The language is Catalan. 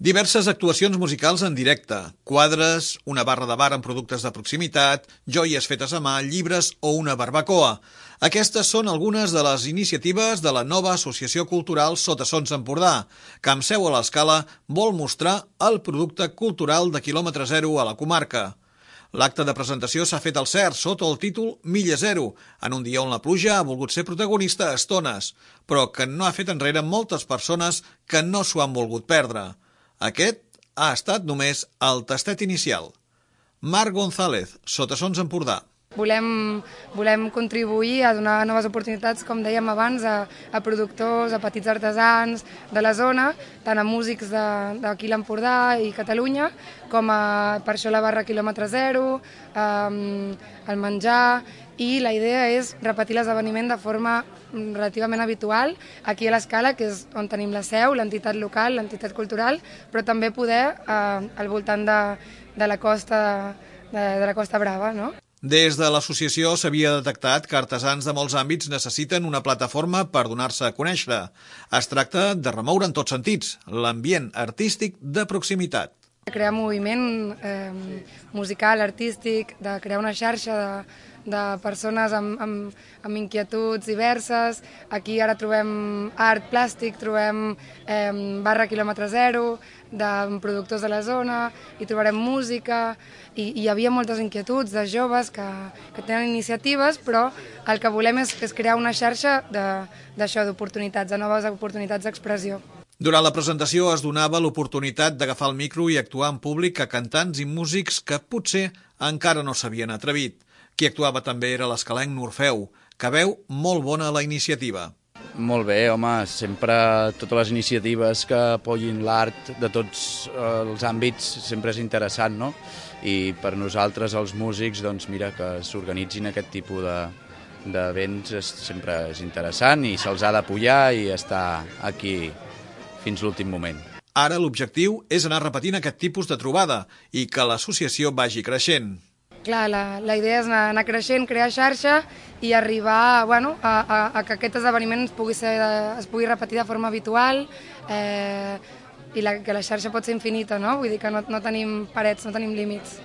Diverses actuacions musicals en directe, quadres, una barra de bar amb productes de proximitat, joies fetes a mà, llibres o una barbacoa. Aquestes són algunes de les iniciatives de la nova Associació Cultural Sotassons Empordà, que amb seu a l'Escala vol mostrar el producte cultural de quilòmetre zero a la comarca. L'acte de presentació s'ha fet al CERT sota el títol Milla Zero, en un dia on la pluja ha volgut ser protagonista a estones, però que no ha fet enrere moltes persones que no s'ho han volgut perdre. Aquest ha estat només el tastet inicial. Marc González, Sotassons Empordà. Volem contribuir a donar noves oportunitats, com dèiem abans, a productors, a petits artesans de la zona, tant a músics d'aquí l'Empordà i Catalunya, com per això la barra quilòmetre zero, el menjar, i la idea és repetir l'esdeveniment de forma relativament habitual aquí a l'Escala, que és on tenim la seu, l'entitat local, l'entitat cultural, però també poder al voltant de la Costa Brava, no? Des de l'associació s'havia detectat que artesans de molts àmbits necessiten una plataforma per donar-se a conèixer. Es tracta de remoure en tots sentits l'ambient artístic de proximitat. De crear moviment musical, artístic, de crear una xarxa de persones amb inquietuds diverses. Aquí ara trobem art plàstic, trobem barra quilòmetre zero, de productors de la zona, i trobarem música, i hi havia moltes inquietuds de joves que tenen iniciatives, però el que volem és crear una xarxa d'això, d'oportunitats, de noves oportunitats d'expressió. Durant la presentació es donava l'oportunitat d'agafar el micro i actuar en públic a cantants i músics que potser encara no s'havien atrevit. Qui actuava també era l'escalenc Norfeu, que veu molt bona la iniciativa. Molt bé, home, sempre totes les iniciatives que apoyin l'art de tots els àmbits sempre és interessant, no? I per nosaltres, els músics, doncs mira, que s'organitzin aquest tipus d'events sempre és interessant i se'ls ha d'apoyar i estar aquí fins l'últim moment. Ara l'objectiu és anar repetint aquest tipus de trobada i que l'associació vagi creixent. Clar, la idea és anar creixent, crear xarxa i arribar a que aquest esdeveniment es pugui repetir de forma habitual i que la xarxa pot ser infinita, no? Vull dir que no tenim parets, no tenim límits.